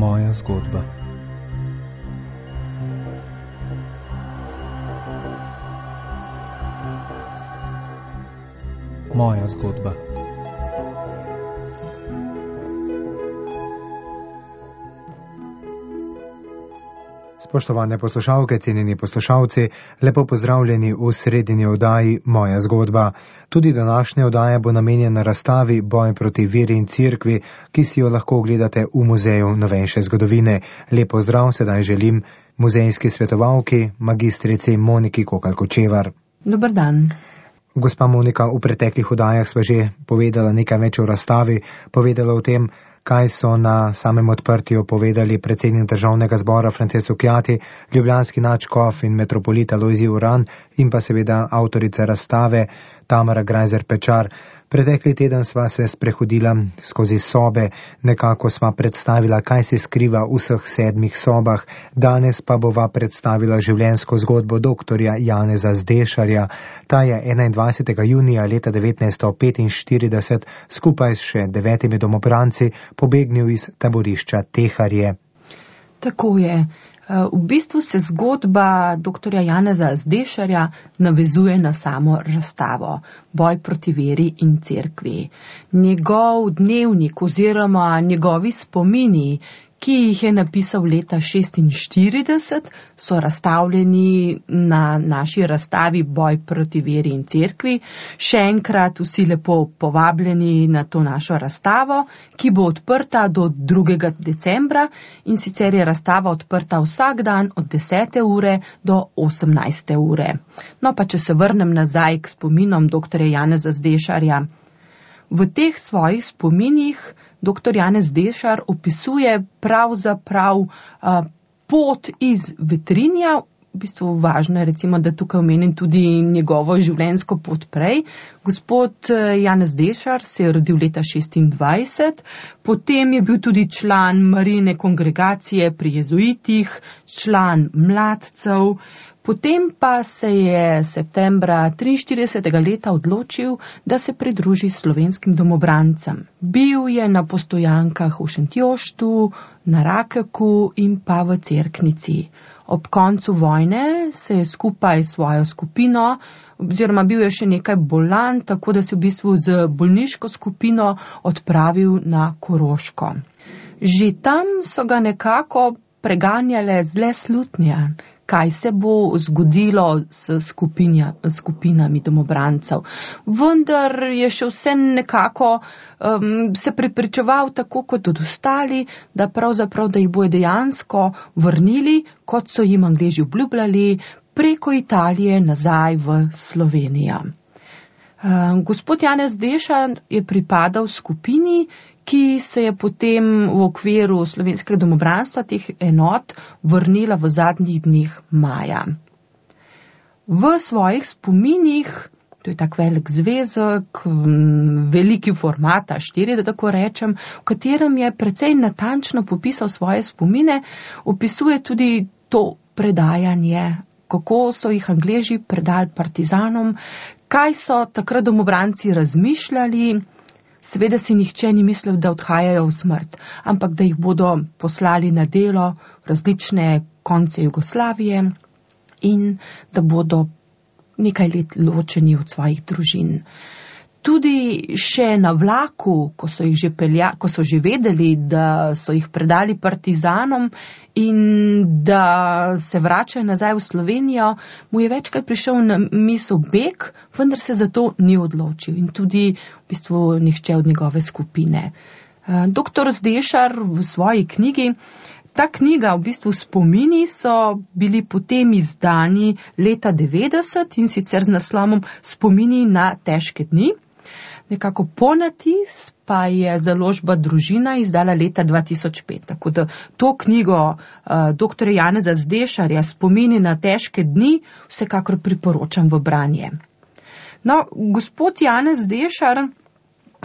Moja zgodba. Moja zgodba. Spoštovane poslušalke, cenjeni poslušalci, lepo pozdravljeni v sredini oddaji Moja zgodba. Tudi današnja oddaja bo namenjena razstavi Boj proti veri in cerkvi, ki si jo lahko ogledate v Muzeju novejše zgodovine. Lep pozdrav sedaj želim muzejski svetovalki, magistrici Moniki Kokalj-Kočevar. Dober dan. Gospa Monika, v preteklih oddajah sva že povedala nekaj več o razstavi, povedala o tem, kaj so na samem odprtju povedali predsednik Državnega zbora Frances Cukjati, ljubljanski nadškof in metropolit Alojzij Uran in pa seveda avtorica razstave Tamara Grajzer Pečar. Pretekli teden sva se sprehodila skozi sobe, nekako sva predstavila, kaj se skriva v vseh 7 sobah. Danes pa bova predstavila življenjsko zgodbo doktorja Janeza Zdešarja. Ta je 21. junija leta 1945 skupaj s še 9 domobranci pobegnil iz taborišča Teharje. Tako je. V bistvu se zgodba doktorja Janeza Zdešarja navezuje na samo razstavo Boj proti veri in cerkvi. Njegov dnevnik oziroma njegovi spomini, ki jih je napisal leta 1946, so razstavljeni na naši razstavi Boj proti veri in cerkvi. Še enkrat vsi lepo povabljeni na to našo razstavo, ki bo odprta do 2. decembra in sicer je razstava odprta vsak dan od 10. ure do 18. ure. No pa če se vrnem nazaj k spominom doktorja Janeza Zdešarja. V teh svojih spominih dr. Janez Zdešar opisuje pravzaprav pot iz Vetrinja. V bistvu važno je recimo, da tukaj omenim tudi njegovo življenjsko pot prej. Gospod Janez Zdešar se je rodil leta 1926, potem je bil tudi član Marijine kongregacije pri jezuitih, član mladcev. Potem pa se je septembra 1943. leta odločil, da se pridruži slovenskim domobrancem. Bil je na postojankah v Šentjoštu, na Rakeku in pa v Cerknici. Ob koncu vojne se je skupaj s svojo skupino, oziroma bil je še nekaj bolan, tako da se v bistvu z bolniško skupino odpravil na Koroško. Že tam so ga nekako preganjale zle slutnje, kaj se bo zgodilo s skupinami domobrancev. Vendar je še vse nekako se prepričeval tako kot od ostali, da pravzaprav, da jih bojo dejansko vrnili, kot so jim Angleži obljubljali, preko Italije nazaj v Slovenijo. Gospod Janez Zdešar je pripadal skupini, ki se je potem v okviru slovenskega domobranstva teh enot vrnila v zadnjih dneh maja. V svojih spominih, to je tak velik zvezek, veliki format A4, da tako rečem, v katerem je precej natančno popisal svoje spomine, opisuje tudi to predajanje, kako so jih Angleži predali partizanom, kaj so takrat domobranci razmišljali. Seveda si nihče ni mislil, da odhajajo v smrt, ampak da jih bodo poslali na delo v različne konce Jugoslavije in da bodo nekaj let ločeni od svojih družin. Tudi še na vlaku, ko so že vedeli, da so jih predali partizanom in da se vračajo nazaj v Slovenijo, mu je večkrat prišel na misel beg, vendar se za to ni odločil in tudi v bistvu nihče od njegove skupine. Doktor Zdešar v svoji knjigi, ta knjiga, v bistvu spomini, so bili potem izdani leta 90 in sicer z naslovom Spomini na težke dni. Nekako ponatis pa je založba Družina izdala leta 2005. Tako da to knjigo dr. Janeza Zdešarja Spomini na težke dni vsekakor priporočam v branje. No, gospod Janez Zdešar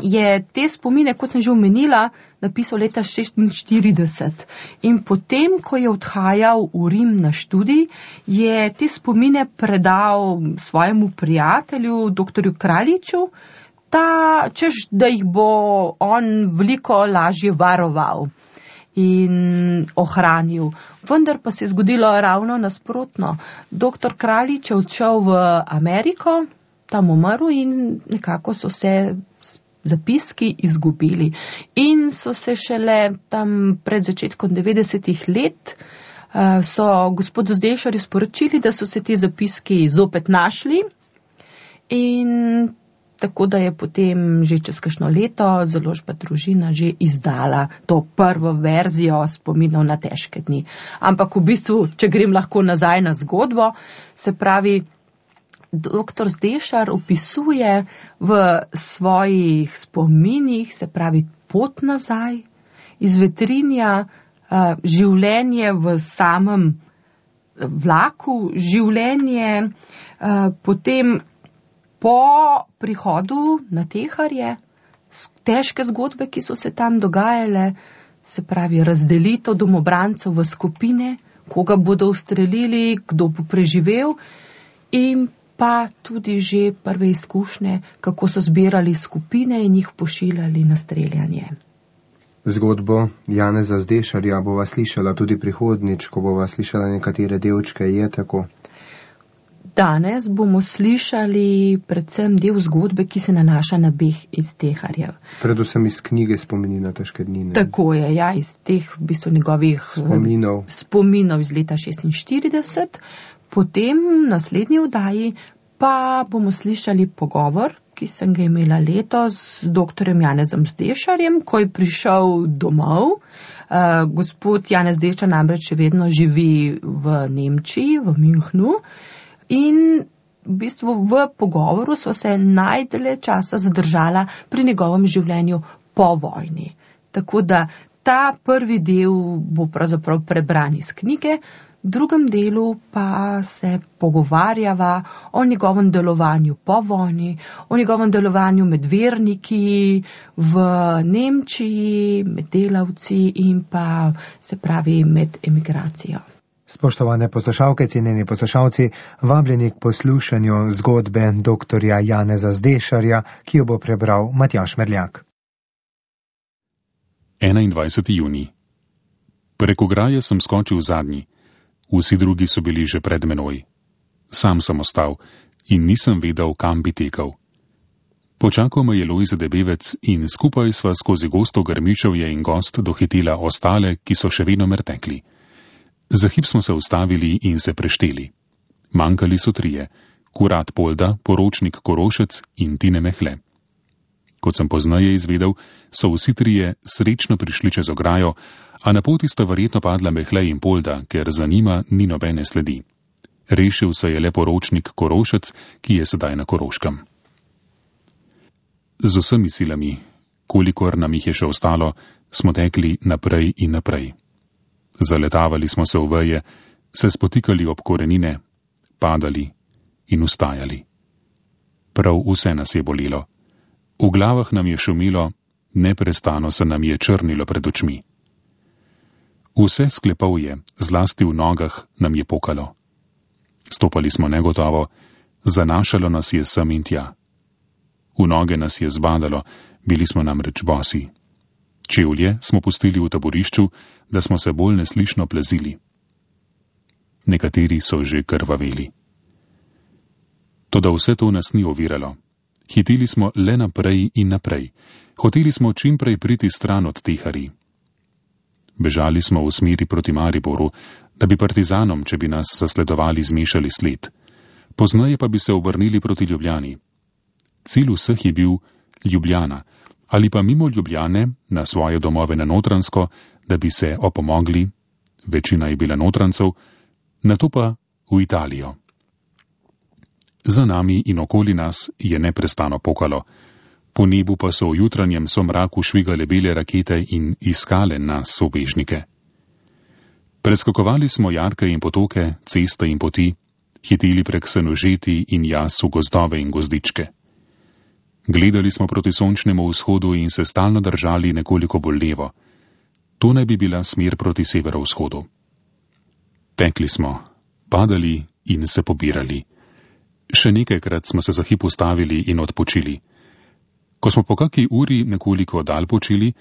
je te spomine, kot sem že omenila, napisal leta 1946. In potem, ko je odhajal v Rim na študij, je te spomine predal svojemu prijatelju, dr. Kraljiču, češ, da jih bo on veliko lažje varoval. in ohranil. Vendar pa se je zgodilo ravno nasprotno. Doktor Kraljič je odšel v Ameriko, tam umrl in nekako so se zapiski izgubili. In so se šele tam pred začetkom 90-ih let so gospodu Zdešarju sporočili, da so se ti zapiski zopet našli in tako da je potem že čez kakšno leto založba Družina že izdala to prvo verzijo spominov na težke dni. Ampak v bistvu, če grem lahko nazaj na zgodbo, se pravi, doktor Zdešar opisuje v svojih spominih, se pravi pot nazaj, iz Vetrinja, življenje v samem vlaku, življenje potem po prihodu na Teharje, težke zgodbe, ki so se tam dogajale, se pravi razdelitev domobrancev v skupine, koga bodo ustrelili, kdo bo preživel, in pa tudi že prve izkušnje, kako so zbirali skupine in jih pošiljali na streljanje. Zgodbo Janeza Zdešarja bova slišala tudi prihodnič, ko bova slišala nekatere delčke, je tako? Danes bomo slišali predvsem del zgodbe, ki se nanaša na beg iz Teharjev. Predvsem iz knjige Spomini na težke dni. Tako je, ja, iz teh v bistvu njegovih spominov iz leta 1946. Potem v naslednji oddaji pa bomo slišali pogovor, ki sem ga imela letos z doktorjem Janezom Zdešarjem, ko je prišel domov. Gospod Janez Zdešar namreč še vedno živi v Nemčiji, v Münchnu. In v bistvu v pogovoru so se najdlje časa zadržala pri njegovem življenju po vojni. Tako da ta prvi del bo pravzaprav prebran iz knjige, v drugem delu pa se pogovarjava o njegovem delovanju po vojni, o njegovem delovanju med verniki v Nemčiji, med delavci in pa se pravi med emigracijo. Spoštovane poslušalke, cenjeni poslušalci, vabljeni k poslušanju zgodbe doktorja Janeza Zdešarja, ki jo bo prebral Matjaž Merljak. 21. junij. Prek ograje sem skočil zadnji. Vsi drugi so bili že pred menoj. Sam sem ostal in nisem vedel, kam bi tekel. Počakal me je Lojze Debevec in skupaj sva skozi gosto grmičevje in gost dohitela ostale, ki so še vedno mrtekli. Za hip smo se ustavili in se prešteli. Manjkali so 3: Kurat Polda, poročnik Korošec in Tine Mehle. Kot sem poznaje izvedel, so vsi 3 srečno prišli čez ograjo, a na poti sta verjetno padla Mehle in Polda, ker za njima ni nobene sledi. Rešil se je le poročnik Korošec, ki je sedaj na Koroškem. Z vsemi silami, kolikor nam jih je še ostalo, smo tekli naprej in naprej. Zaletavali smo se v veje, se spotikali ob korenine, padali in ustajali. Prav vse nas je bolelo. V glavah nam je šumilo, neprestano se nam je črnilo pred očmi. Vse sklepavje, zlasti v nogah, nam je pokalo. Stopali smo negotovo, zanašalo nas je sem in tja. V noge nas je zbadalo, bili smo namreč bosi. Čevlje smo pustili v taborišču, da smo se bolj neslišno plezili. Nekateri so že krvaveli. Toda vse to nas ni oviralo. Hiteli smo le naprej in naprej. Hoteli smo čimprej priti stran od Teharij. Bežali smo v smeri proti Mariboru, da bi partizanom, če bi nas zasledovali, zmešali sled. Poznaje pa bi se obrnili proti Ljubljani. Cilj vseh je bil Ljubljana, ali pa mimo Ljubljane na svoje domove na Notranjsko, da bi se opomogli, večina je bila Notranjcev, nato pa v Italijo. Za nami in okoli nas je neprestano pokalo, po nebu pa so v jutranjem somraku švigale bele rakete in iskale nas sobežnike. Preskakovali smo jarke in potoke, ceste in poti, hiteli prek senožeti in jas v gozdove in gozdičke. Gledali smo proti sončnemu vzhodu in se stalno držali nekoliko bolj levo. To naj bi bila smer proti severovzhodu. Tekli smo, padali in se pobirali. Še nekajkrat smo se za hip ustavili in odpočili. Ko smo po kaki uri nekoliko dal počili,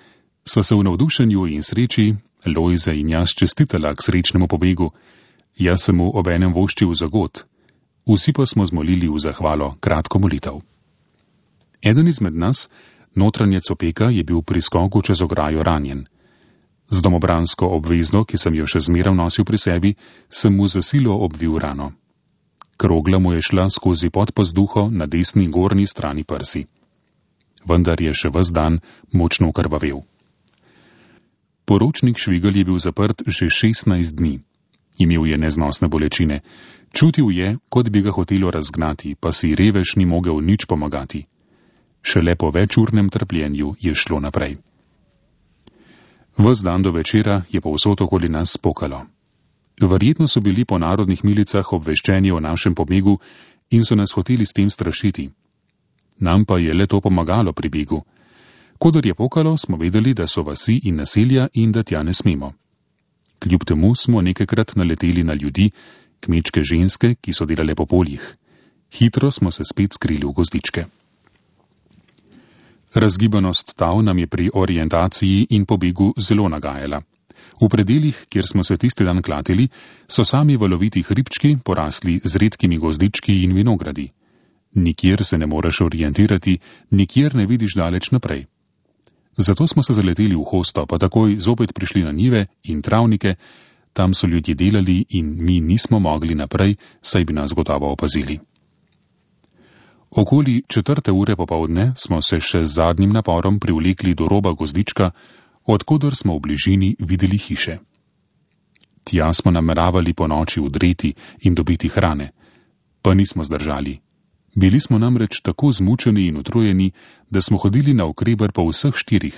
Sva se v navdušenju in sreči, Lojze in jaz, čestitala k srečnemu pobegu. Jaz sem mu obenem voščil zagot. Vsi pa smo zmolili v zahvalo kratko molitev. Eden izmed nas, notranjec Opeka, je bil pri skoku čez ograjo ranjen. Z domobransko obvezno, ki sem jo še zmeraj nosil pri sebi, sem mu za silo obvil rano. Krogla mu je šla skozi podpazduho na desni gornji strani prsi. Vendar je še ves dan močno krvavel. Poročnik Švigelj je bil zaprt že 16 dni. Imel je neznosne bolečine. Čutil je, kot bi ga hotelo razgnati, pa si revež ni mogel nič pomagati. Šele po večurnem trpljenju je šlo naprej. Ves dan do večera je povsod okoli nas pokalo. Verjetno so bili po narodnih milicah obveščeni o našem pobegu in so nas hoteli s tem strašiti. Nam pa je le to pomagalo pri begu. Kodar je pokalo, smo vedeli, da so vasi in naselja in da tja ne smemo. Kljub temu smo nekajkrat naleteli na ljudi, kmečke ženske, ki so delale po poljih. Hitro smo se spet skrili v gozdičke. Razgibanost tav nam je pri orientaciji in pobegu zelo nagajala. V predeljih, kjer smo se tisti dan klatili, so sami valoviti hribčki porasli z redkimi gozdički in vinogradi. Nikjer se ne moreš orientirati, nikjer ne vidiš daleč naprej. Zato smo se zaleteli v hosto, pa takoj zopet prišli na njive in travnike, tam so ljudje delali in mi nismo mogli naprej, saj bi nas gotovo opazili. Okoli 4. ure popovdne smo se še z zadnjim naporom privlekli do roba gozdička, odkudar smo v bližini videli hiše. Tja smo nameravali po noči udreti in dobiti hrane, pa nismo zdržali. Bili smo namreč tako zmučeni in utrujeni, da smo hodili na okreber po vseh 4,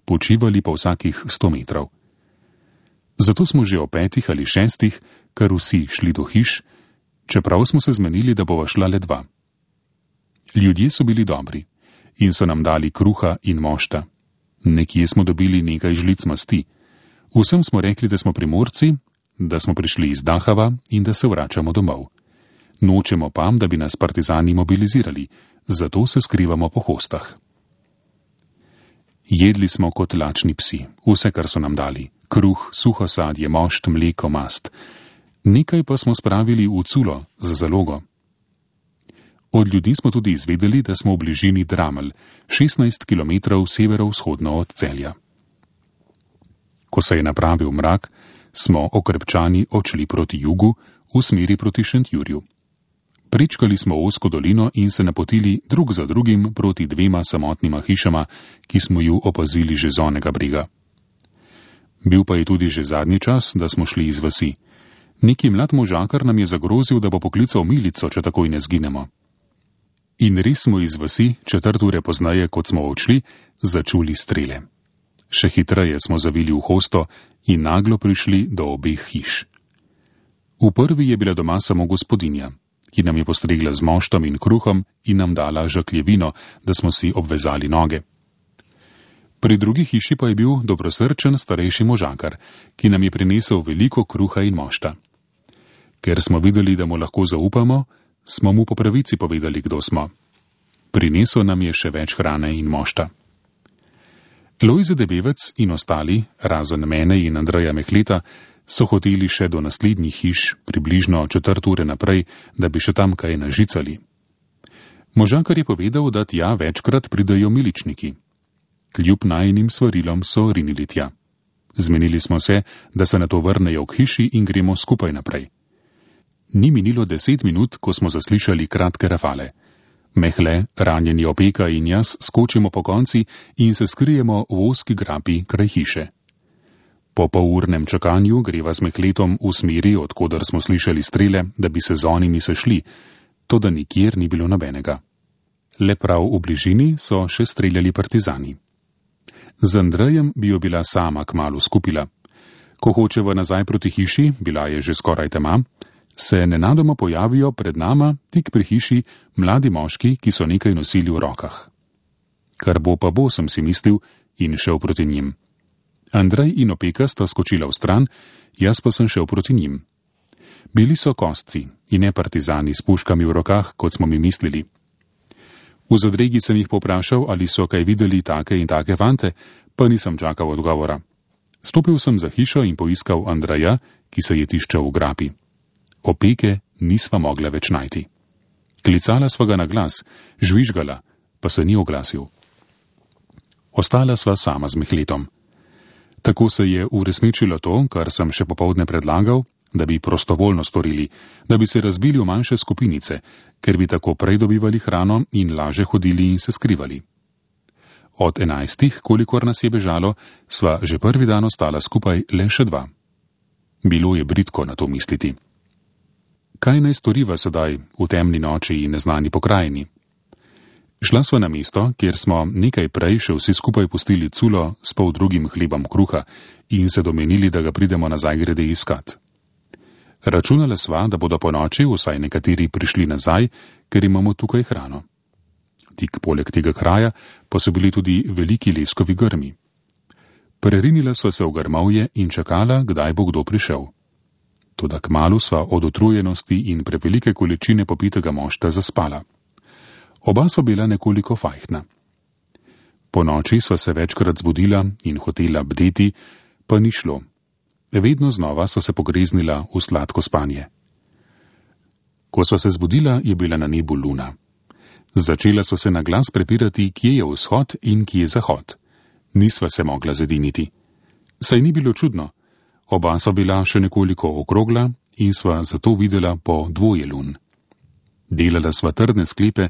počivali pa vsakih 100 metrov. Zato smo že o 5 ali 6 kar vsi šli do hiš, čeprav smo se zmenili, da bova šla le 2. Ljudje so bili dobri in so nam dali kruha in mošta. Nekje smo dobili nekaj žlic masti. Vsem smo rekli, da smo Primorci, da smo prišli iz Dachava in da se vračamo domov. Nočemo pa, da bi nas partizani mobilizirali, zato se skrivamo po hostah. Jedli smo kot lačni psi, vse, kar so nam dali. Kruh, suho sadje, mošt, mleko, mast. Nekaj pa smo spravili v culo za zalogo. Od ljudi smo tudi izvedeli, da smo v bližini Dramelj, 16 km severovzhodno od Celja. Ko se je napravil mrak, smo okrepčani odšli proti jugu, v smeri proti Šentjurju. Prečkali smo ozko dolino in se napotili drug za drugim proti 2 samotnima hišama, ki smo ju opazili že z onega brega. Bil pa je tudi že zadnji čas, da smo šli iz vasi. Neki mlad možakar nam je zagrozil, da bo poklical milico, če takoj ne zginemo. In res smo iz vasi, 4 ure pozneje, kot smo odšli, začuli strele. Še hitreje smo zavili v hosto in naglo prišli do obeh hiš. V prvi je bila doma samo gospodinja, ki nam je postregla z moštom in kruhom in nam dala žakljevino, da smo si obvezali noge. Pri drugi hiši pa je bil dobrosrčen starejši možakar, ki nam je prinesel veliko kruha in mošta. Ker smo videli, da mu lahko zaupamo, smo mu po pravici povedali, kdo smo. Prinesel nam je še več hrane in mošta. Lojze Debevec in ostali, razen mene in Andreja Mehleta, so hoteli še do naslednjih hiš, približno 4 ure naprej, da bi še tam kaj nažicali. Možakar je povedal, da tja večkrat pridajo miličniki. Kljub najinim svarilom so rinili tja. Zmenili smo se, da se nato vrnejo k hiši in gremo skupaj naprej. Ni minilo 10 minut, ko smo zaslišali kratke rafale. Mehle, ranjeni Opeka in jaz skočimo po konci in se skrijemo v ozki grapi kraj hiše. Po polurnem čakanju greva z Mehletom v smeri, odkudar smo slišali strele, da bi se z onimi sešli, toda nikjer ni bilo nobenega. Le prav v bližini so še streljali partizani. Z Andrejem bi jo bila sama kmalu skupila. Ko hočeva nazaj proti hiši, bila je že skoraj tema, se nenadoma pojavijo pred nama, tik pri hiši, mladi moški, ki so nekaj nosili v rokah. Kar bo pa bo, sem si mislil in šel proti njim. Andrej in Opeka sta skočila v stran, jaz pa sem šel proti njim. Bili so kostci in ne partizani s puškami v rokah, kot smo mi mislili. V zadregi sem jih poprašal, ali so kaj videli take in take fante, pa nisem čakal odgovora. Stopil sem za hišo in poiskal Andreja, ki se je tiščal v grapi. Opeke nisva mogla več najti. Klicala sva ga na glas, žvižgala, pa se ni oglasil. Ostala sva sama z Mihletom. Tako se je uresničilo to, kar sem še popovdne predlagal, da bi prostovoljno storili, da bi se razbili v manjše skupinice, ker bi tako prej dobivali hrano in laže hodili in se skrivali. Od 11, kolikor nas je bežalo, sva že prvi dan ostala skupaj le še 2. Bilo je bridko na to misliti. Kaj naj storiva sedaj v temni noči in neznani pokrajini? Šla sva na mesto, kjer smo nekaj prej še vsi skupaj pustili culo s poldrugim hlebom kruha in se domenili, da ga pridemo nazaj grede iskat. Računala sva, da bodo po noči vsaj nekateri prišli nazaj, ker imamo tukaj hrano. Tik poleg tega kraja pa so bili tudi veliki leskovi grmi. Prerinila sva se v grmovje in čakala, kdaj bo kdo prišel. Toda kmalu sva od utrujenosti in prevelike količine popitega mošta zaspala. Oba sva bila nekoliko fajhtna. Po noči sva se večkrat zbudila in hotela bdeti, pa ni šlo. Vedno znova sva se pogreznila v sladko spanje. Ko sva se zbudila, je bila na nebu luna. Začela sva se na glas prepirati, kje je vzhod in kje je zahod. Nisva se mogla zediniti. Saj ni bilo čudno. Oba sva bila še nekoliko okrogla in sva zato videla po 2 lun. Delala sva trdne sklepe,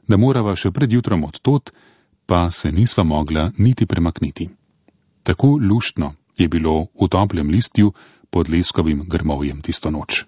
da morava še pred jutrom od tod, pa se nisva mogla niti premakniti. Tako luštno je bilo v toplem listju pod leskovim grmovjem tisto noč.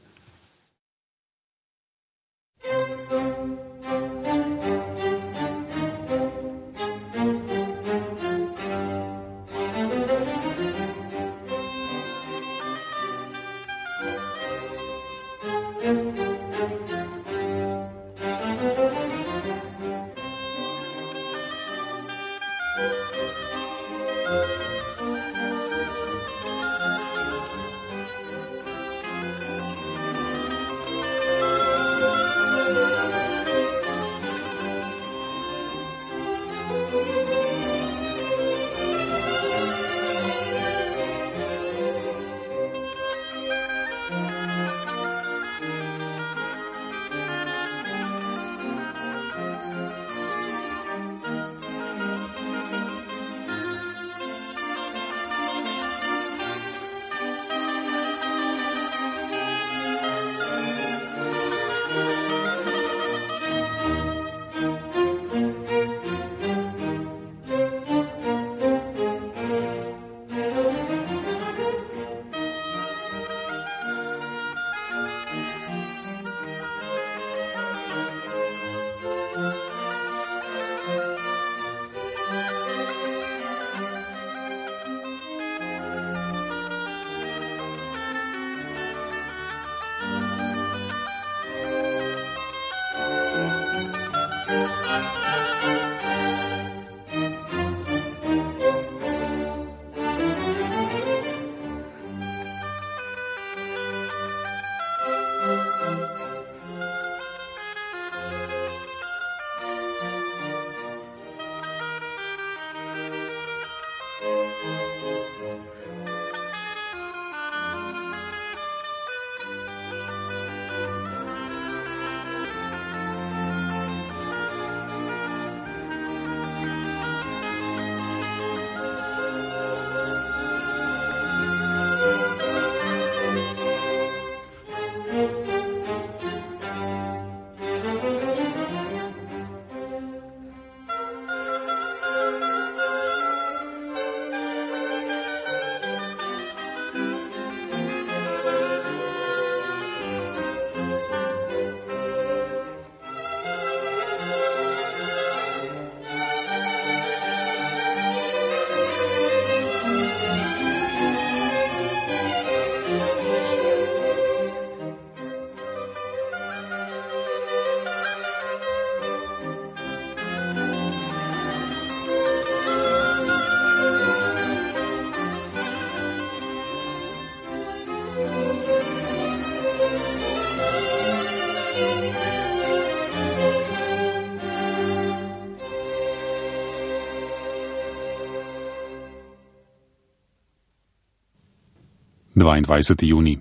22. junij.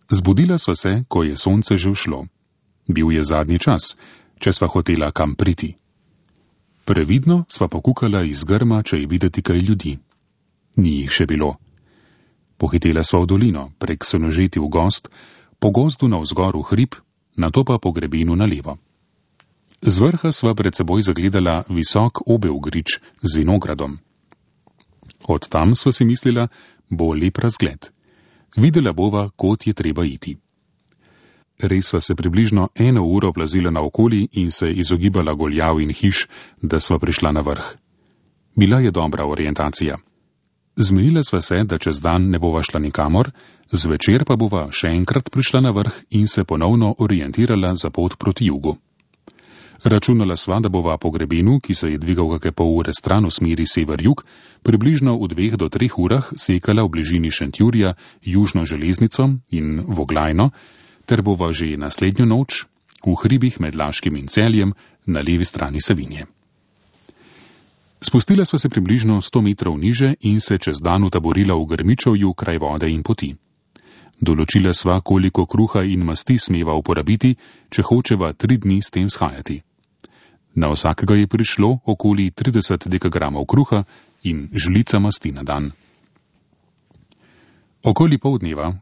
Zbudila sva se, ko je sonce že ušlo. Bil je zadnji čas, če sva hotela kam priti. Previdno sva pokukala iz grma, če je videti kaj ljudi. Ni jih še bilo. Pohitela sva v dolino, prek Senožeti v gozd, po gozdu navzgor v hrib, nato pa po grebenu na levo. Z vrha sva pred seboj zagledala visok obel grič z vinogradom. Od tam sva si mislila, bo lep razgled. Videla bova, kot je treba iti. Res sva se približno 1 uro plazila naokoli in se izogibala goljav in hiš, da sva prišla na vrh. Bila je dobra orientacija. Zmenila sva se, da čez dan ne bova šla nikamor, zvečer pa bova še enkrat prišla na vrh in se ponovno orientirala za pot proti jugu. Računala sva, da bova po grebenu, ki se je dvigal kakšne pol ure stran v smeri sever-jug, približno v 2 do 3 urah sekala v bližini Šentjurja južno železnico in Voglajno, ter bova že naslednjo noč v hribih med Laškim in Celjem na levi strani Savinje. Spustila sva se približno 100 metrov niže in se čez dan utaborila v Grmičevju kraj vode in poti. Določila sva, koliko kruha in masti smeva uporabiti, če hočeva 3 dni s tem shajati. Na vsakega je prišlo okoli 30 dekagramov kruha in žlica masti na dan. Okoli poldneva,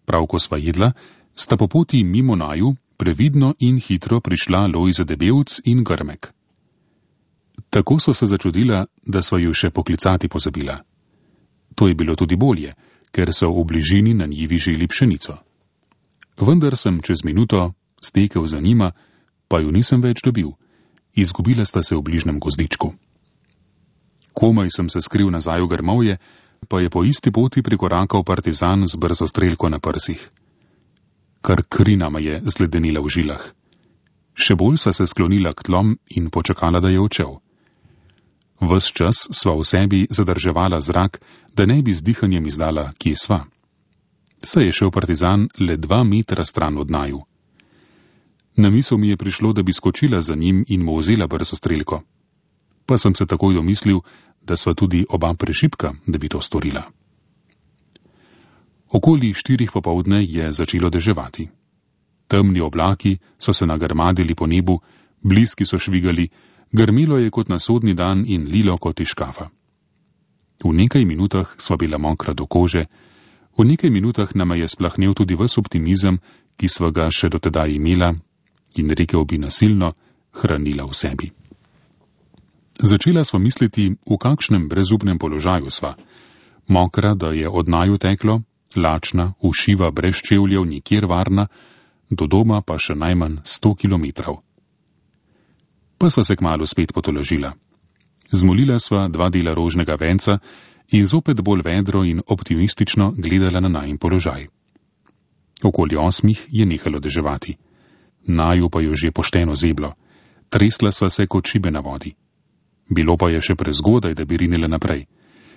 prav ko sva jedla, sta po poti mimo naju previdno in hitro prišla Lojze Debevc in Grmek. Tako so se začudila, da sva ju še poklicati pozabila. To je bilo tudi bolje, ker so v bližini na njivi želi pšenico. Vendar sem čez minuto stekel za njima, pa ju nisem več dobil. Izgubila sta se v bližnem gozdičku. Komaj sem se skril nazaj v grmovje, pa je po isti poti prikorakal partizan z brzo strelko na prsih. Kar kri nama je zledenila v žilah. Še bolj sva se sklonila k tlom in počakala, da je odšel. Ves čas sva v sebi zadrževala zrak, da ne bi z dihanjem izdala, kje sva. Saj je šel partizan le 2 metra stran od naju. Na misel mi je prišlo, da bi skočila za njim in mu vzela brzo strelko. Pa sem se takoj domislil, da sva tudi oba prešibka, da bi to storila. Okoli 4 popoldne je začelo deževati. Temni oblaki so se nagrmadili po nebu, bliski so švigali, grmilo je kot na sodni dan in lilo kot iz škafa. V nekaj minutah sva bila mokra do kože, v nekaj minutah nama je splahnel tudi ves optimizem, ki sva ga še dotedaj imela in rekel bi nasilno, hranila v sebi. Začela sva misliti, v kakšnem brezupnem položaju sva. Mokra, da je od naju teklo, lačna, ušiva brez čevljev, nikjer varna, do doma pa še najmanj 100 kilometrov. Pa sva se kmalu spet potolažila. Zmolila sva 2 dela rožnega venca in zopet bolj vedro in optimistično gledala na najin položaj. Okoli 8 je nehalo deževati. Naju pa jo že pošteno zeblo. Tresla sva se kot šibe na vodi. Bilo pa je še prezgodaj, da bi rinila naprej.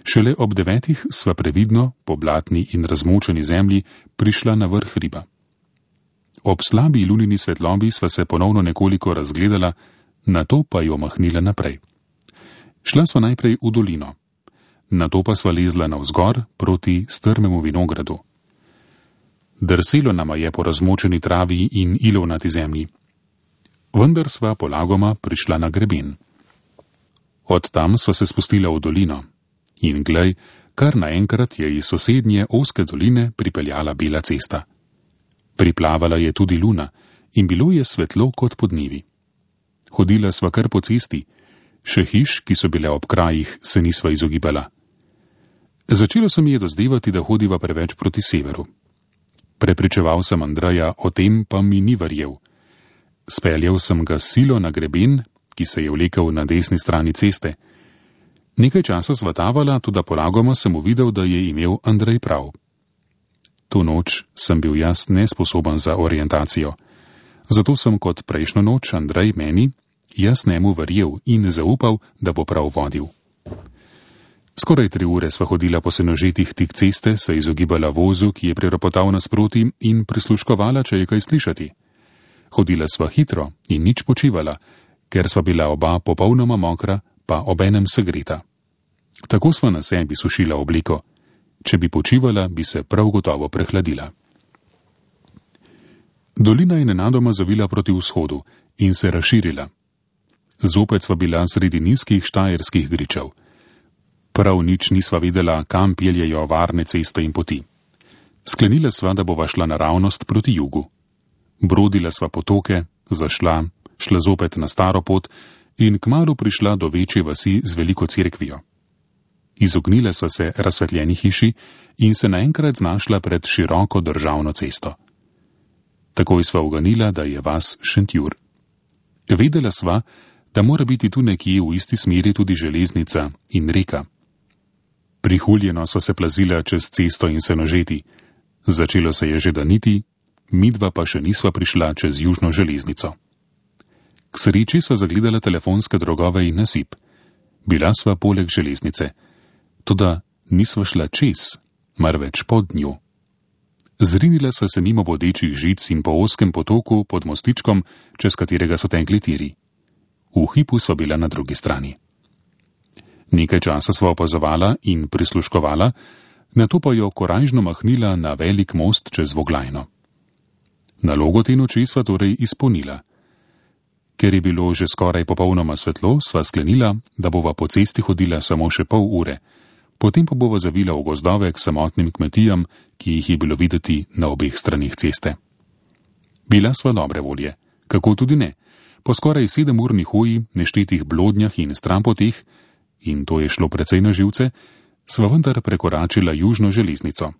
Šele ob 9 sva previdno, po blatni in razmočeni zemlji, prišla na vrh hriba. Ob slabi lunini svetlobi sva se ponovno nekoliko razgledala, nato pa jo mahnila naprej. Šla sva najprej v dolino, nato pa sva lezla navzgor proti strmemu vinogradu. Drselo nama je po razmočeni travi in ilovnati zemlji. Vendar sva polagoma prišla na greben. Od tam sva se spustila v dolino in glej, kar naenkrat je iz sosednje ozke doline pripeljala bela cesta. Priplavala je tudi luna in bilo je svetlo kot podnevi. Hodila sva kar po cesti, še hiš, ki so bile ob krajih, se nisva izogibala. Začelo se mi je dozdevati, da hodiva preveč proti severu. Prepričeval sem Andreja, o tem pa mi ni verjel. Speljal sem ga silo na greben, ki se je vlekel na desni strani ceste. Nekaj časa sva tavala, tudi polagoma sem uvidel, da je imel Andrej prav. To noč sem bil jaz nesposoben za orientacijo. Zato sem kot prejšnjo noč Andrej meni, jaz njemu verjel in zaupal, da bo prav vodil. Skoraj 3 ure sva hodila po Senožetih tik ceste, se izogibala vozu, ki je priropotal nasproti, in prisluškovala, če je kaj slišati. Hodila sva hitro in nič počivala, ker sva bila oba popolnoma mokra, pa obenem segreta. Tako sva na sebi sušila obleko. Če bi počivala, bi se prav gotovo prehladila. Dolina je nenadoma zavila proti vzhodu in se razširila. Zopet sva bila sredi nizkih štajerskih gričev. Prav nič nisva vedela, kam peljejo varne ceste in poti. Sklenila sva, da bova šla naravnost proti jugu. Brodila sva potoke, šla zopet na staro pot in kmalu prišla do večje vasi z veliko cerkvijo. Izognila sva se razsvetljeni hiši in se naenkrat znašla pred široko državno cesto. Takoj sva uganila, da je vas Šentjur. Vedela sva, da mora biti tu nekje v isti smeri tudi železnica in reka. Prihuljeno sva se plazila čez cesto in se nožeti. Začelo se je že daniti, midva pa še nisva prišla čez južno železnico. K sreči sva zagledala telefonske drogove in nasip. Bila sva poleg železnice. Toda nisva šla čez, marveč pod njo. Zrinila sva se mimo bodečih žic in po ozkem potoku pod mostičkom, čez katerega so tekli tiri. V hipu sva bila na drugi strani. Nekaj časa sva opazovala in prisluškovala, nato pa jo korajžno mahnila na velik most čez Voglajno. Nalogo te noči sva torej izpolnila. Ker je bilo že skoraj popolnoma svetlo, sva sklenila, da bova po cesti hodila samo še pol ure, potem pa bova zavila v gozdove k samotnim kmetijam, ki jih je bilo videti na obeh stranih ceste. Bila sva dobre volje, kako tudi ne. Po skoraj 7-urni hoji, neštetih blodnjah in strampoteh, in to je šlo precej na živce, sva vendar prekoračila južno železnico.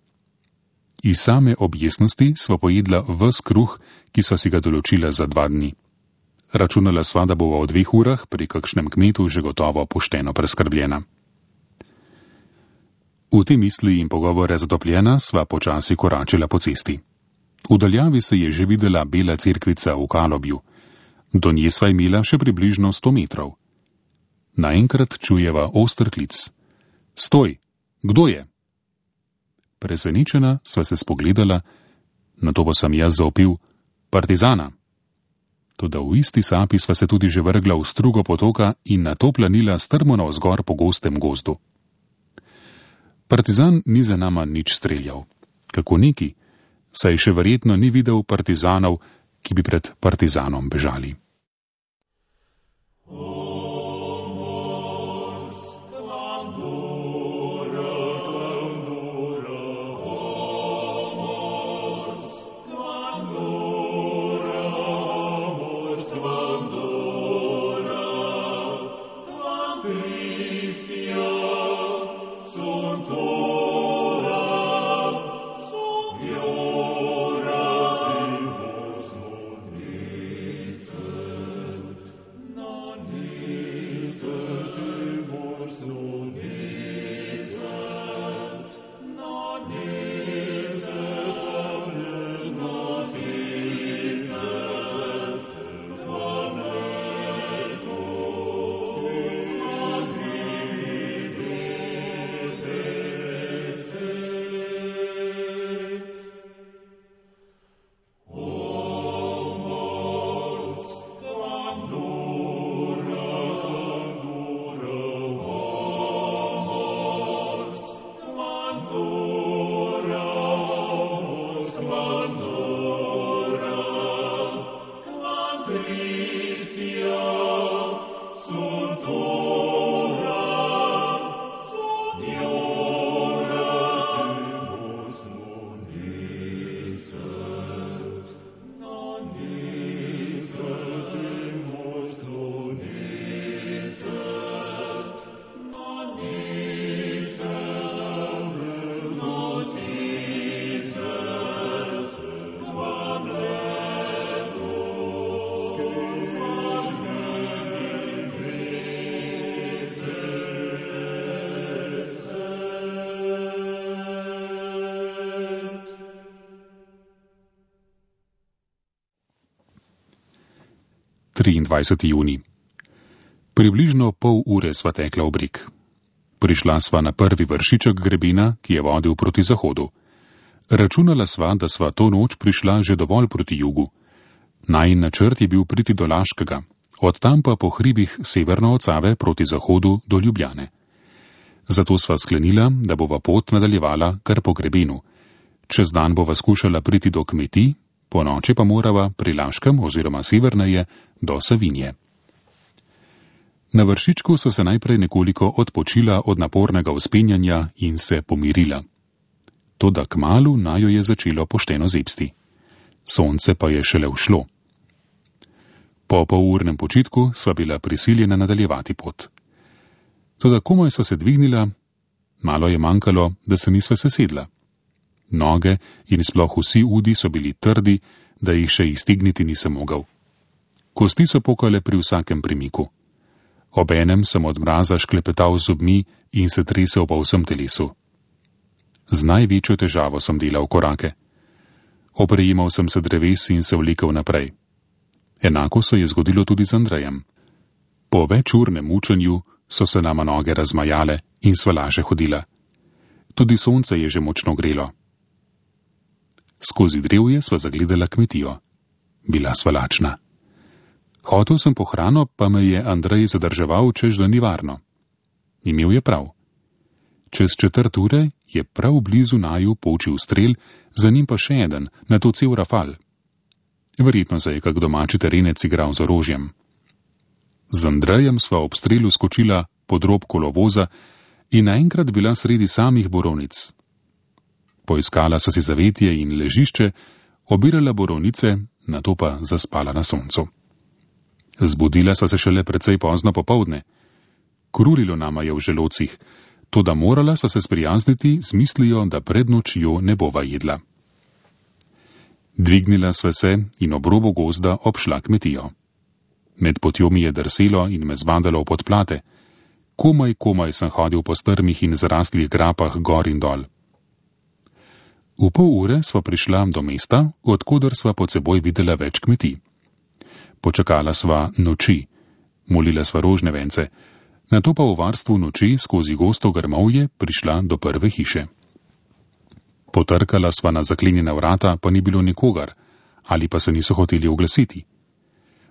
Iz same objesnosti sva pojedla ves kruh, ki sva si ga določila za 2 dni. Računala sva, da bova v 2 urah pri kakšnem kmetu že gotovo pošteno preskrbljena. V te misli in pogovore zatopljena sva počasi koračila po cesti. V daljavi se je že videla bela cerkvica v Kalobju. Do nje sva imela še približno 100 metrov. Naenkrat čujeva oster klic. Stoj! Kdo je? Presenečena sva se spogledala, nato pa sem jaz zaopil partizana. Toda v isti sapi sva se tudi že vrgla v strugo potoka in nato planila strmo navzgor po gostem gozdu. Partizan ni za nama nič streljal. Kako neki, saj še verjetno ni videl partizanov, ki bi pred partizanom bežali. Juni. Približno pol ure sva tekla v breg. Prišla sva na prvi vršiček grebena, ki je vodil proti zahodu. Računala sva, da sva to noč prišla že dovolj proti jugu. Najin načrt je bil priti do Laškega, od tam pa po hribih severno od Save proti zahodu do Ljubljane. Zato sva sklenila, da bova pot nadaljevala kar po grebenu. Čez dan bova skušala priti do kmetij, po noči pa morava pri Laškem oziroma severneje do Savinje. Na vršičku so se najprej nekoliko odpočila od napornega vzpenjanja in se pomirila. Toda kmalu najo je začelo pošteno zebsti. Sonce pa je šele ušlo. Po polurnem počitku sva bila prisiljena nadaljevati pot. Toda komaj so se dvignila, malo je manjkalo, da se nisva sesedla. Noge in sploh vsi udi so bili trdi, da jih še iztegniti nisem mogel. Kosti so pokale pri vsakem premiku. Obenem sem od mraza šklepetal z zobmi in se tresel po vsem telesu. Z največjo težavo sem delal korake. Oprejemal sem se dreves in se vlekel naprej. Enako se je zgodilo tudi z Andrejem. Po večurnem mučenju so se nama noge razmajale in sva laže hodila. Tudi sonce je že močno grelo. Skozi drevje sva zagledala kmetijo. Bila sva lačna. Hotel sem po hrano, pa me je Andrej zadrževal, češ da ni varno. Imel je prav. Čez 1/4 je prav blizu naju počil strel, za njim pa še eden, nato cel rafal. Verjetno se je kak domači terenec igral z orožjem. Z Andrejem sva ob strelu skočila pod rob kolovoza in naenkrat bila sredi samih borovnic. Poiskala so si zavetje in ležišče, obirala borovnice, nato pa zaspala na soncu. Zbudila so se šele precej pozno popoldne. Krulilo nama je v želodcih, toda morala so se sprijazniti z mislijo, da pred nočjo ne bova jedla. Dvignila sva se in ob robu gozda obšla kmetijo. Med potjo mi je drselo in me zbadalo v podplate. Komaj sem hodil po strmih in zaraslih grapah gor in dol. V pol ure sva prišla do mesta, odkudar sva pod seboj videla več kmetij. Počakala sva noči, molila sva rožne vence, nato pa v varstvu noči skozi gosto grmovje prišla do prve hiše. Potrkala sva na zaklenjena vrata, pa ni bilo nikogar, ali pa se niso hoteli oglasiti.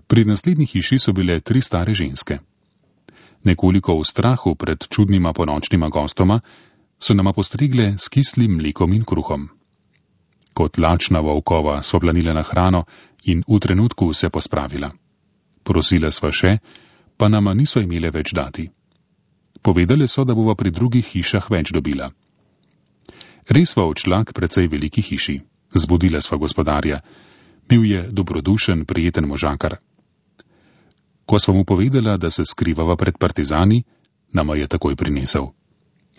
Pri naslednji hiši so bile 3 stare ženske. Nekoliko v strahu pred čudnima ponočnima gostoma so nama postregle s kislim mlekom in kruhom. Kot lačna volkova sva planila na hrano in v trenutku se pospravila. Prosila sva še, pa nama niso imele več dati. Povedali so, da bova pri drugih hišah več dobila. Res sva odšla k precej veliki hiši. Zbudila sva gospodarja. Bil je dobrodušen, prijeten možakar. Ko sva mu povedala, da se skrivava pred partizani, nama je takoj prinesel.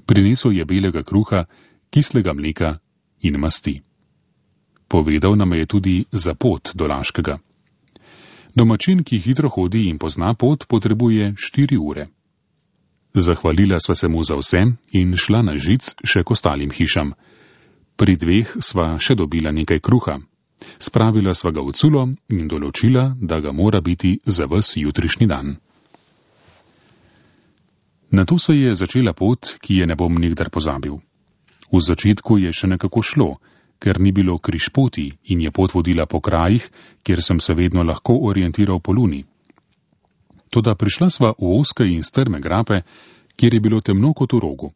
Prinesel je belega kruha, kislega mleka in masti. Povedal nam je tudi za pot do Laškega. Domačin, ki hitro hodi in pozna pot, potrebuje 4 ure. Zahvalila sva se mu za vse in šla na žic še k ostalim hišam. Pri 2 sva še dobila nekaj kruha. Spravila sva ga v culo in določila, da ga mora biti za ves jutrišnji dan. Nato se je začela pot, ki je ne bom nikdar pozabil. V začetku je še nekako šlo, ker ni bilo križpoti in je pot vodila po krajih, kjer sem se vedno lahko orientiral po luni. Toda prišla sva v ozke in strme grape, kjer je bilo temno kot v rogu.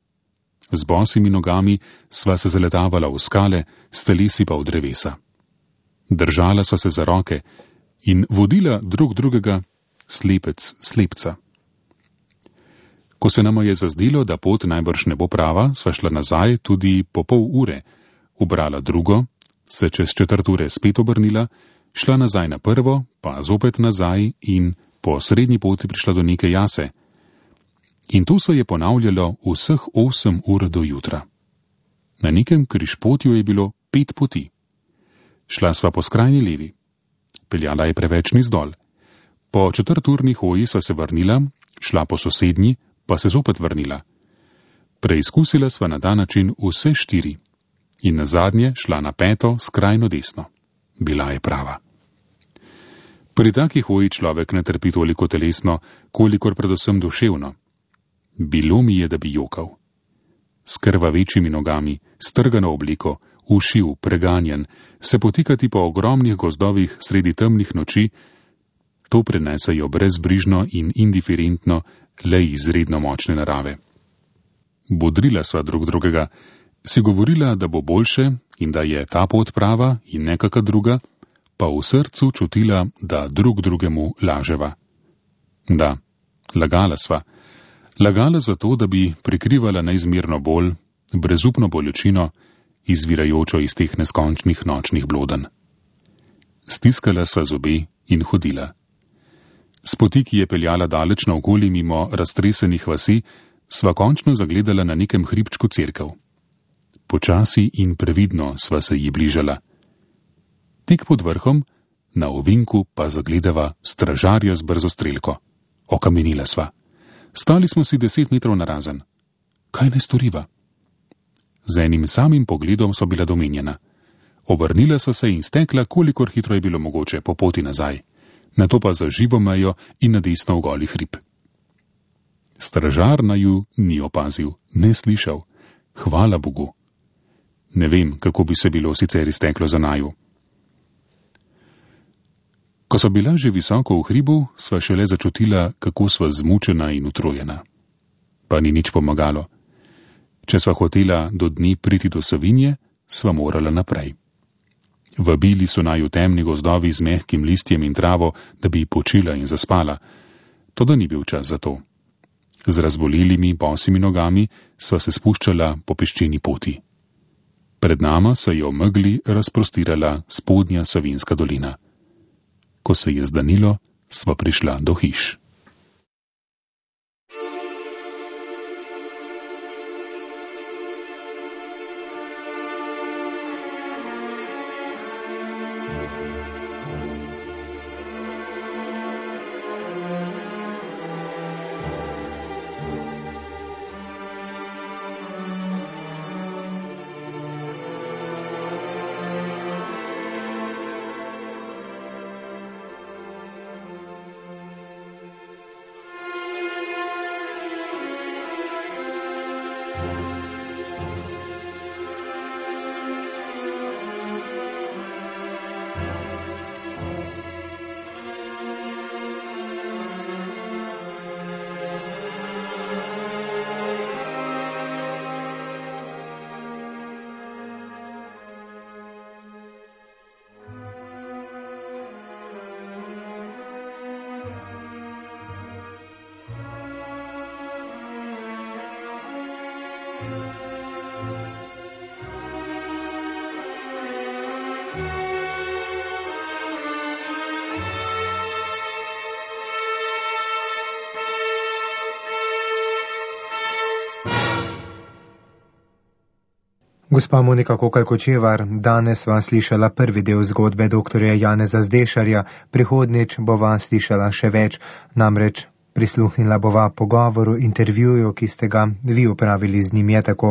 Z bosimi nogami sva se zaletavala v skale, s telesi pa v drevesa. Držala sva se za roke in vodila drug drugega, slepec slepca. Ko se nama je zazdelo, da pot najbrž ne bo prava, sva šla nazaj tudi po pol ure, ubrala drugo, se čez 1/4 ure spet obrnila, šla nazaj na prvo, pa zopet nazaj in po srednji poti prišla do neke jase. In to se je ponavljalo vseh 8 ur do jutra. Na nekem križpotju je bilo 5 poti. Šla sva po skrajni levi. Peljala je preveč navzdol. Po 4-urni hoji sva se vrnila, šla po sosednji, pa se zopet vrnila. Preizkusila sva na ta način vse 4 in nazadnje šla na 5. skrajno desno. Bila je prava. Pri taki hoji človek ne trpi toliko telesno, kolikor predvsem duševno. Bilo mi je, da bi jokal. S krvavečimi nogami, strgano obliko, ušiv, preganjen, se potikati po ogromnih gozdovih sredi temnih noči, to prenesejo brezbrižno in indiferentno le izredno močne narave. bodrila sva drug drugega, si govorila, da bo boljše in da je ta pot prava in nekaka druga, pa v srcu čutila, da drug drugemu laževa. Da, lagala sva. Lagala zato, da bi prikrivala neizmerno bolj, brezupno bolečino, izvirajočo iz teh neskončnih nočnih blodenj. Stiskala sva zobe in hodila. S poti, ki je peljala daleč naokoli mimo raztresenih vasi, sva končno zagledala na nekem hribčku cerkev. Počasi in previdno sva se ji bližala. Tik pod vrhom, na ovinku pa zagledava stražarja z brzostrelko. Okamenila sva. Stali smo si 10 metrov narazen. Kaj naj storiva? Z enim samim pogledom so bila domenjena. Obrnila sva se in stekla, kolikor hitro je bilo mogoče, po poti nazaj. Nato pa za živo mejo in na desno v goli hrib. Stražar naju ni opazil, ne slišal. Hvala Bogu. Ne vem, kako bi se bilo sicer izteklo za naju. Ko so bila že visoko v hribu, sva šele začutila, kako sva zmučena in utrujena. Pa ni nič pomagalo. Če sva hotela do dni priti do Savinje, sva morala naprej. Vabili so naju temni gozdovi z mehkim listjem in travo, da bi počila in zaspala. Toda ni bil čas za to. Z razbolelimi bosimi nogami sva se spuščala po peščeni poti. Pred nama se je v megli razprostirala spodnja Savinjska dolina. Ko se je zdanilo, sva prišla do hiš. Gospa Monika Kokalj-Kočevar, danes sva slišala prvi del zgodbe doktorja Janeza Zdešarja, prihodnjič bova slišala še več, namreč prisluhnila bova pogovoru, intervjuju, ki ste ga vi upravili z njim, je tako.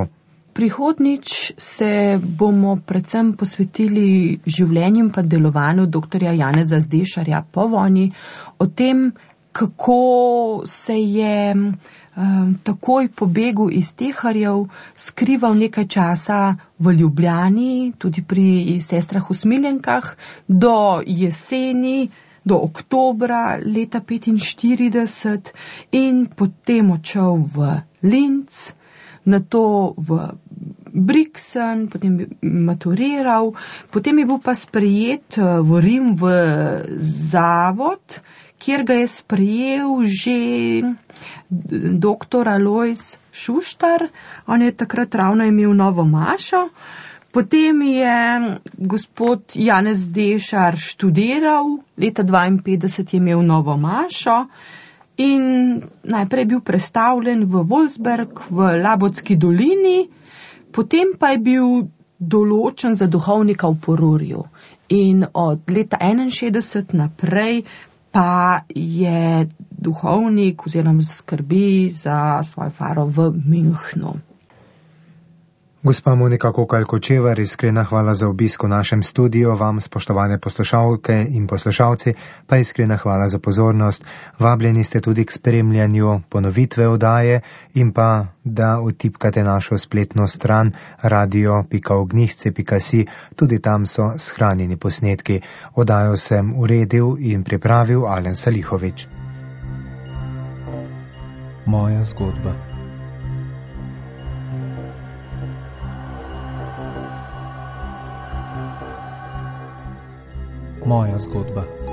Prihodnjič se bomo predvsem posvetili življenju pa delovanju doktorja Janeza Zdešarja po vojni, o tem, kako se je takoj po begu iz Teharjev skrival nekaj časa v Ljubljani, tudi pri sestrah Usmiljenkah, do jeseni, do oktobra leta 1945 in potem odšel v Linz, nato v Brixen, potem je maturiral, potem je bil pa sprejet v Rim v zavod, kjer ga je sprejel že doktor Alojz Šuštar, on je takrat ravno imel novo mašo, potem je gospod Janez Zdešar študiral, leta 1952 je imel novo mašo in najprej je bil prestavljen v Wolfsberg v Labotski dolini, potem pa je bil določen za duhovnika v Porurju in od leta 1961 naprej pa je duhovnik oziroma skrbi za svojo faro v Münchnu. Gospa Monika Kokalj-Kočevar, iskrena hvala za obisk v našem studiu, vam spoštovane poslušalke in poslušalci, pa iskrena hvala za pozornost. Vabljeni ste tudi k spremljanju ponovitve oddaje in pa, da utipkate našo spletno stran radio.ognihce.si, tudi tam so shranjeni posnetki. Oddajo sem uredil in pripravil Alen Salihovič. Moja zgodba. moja zgodba.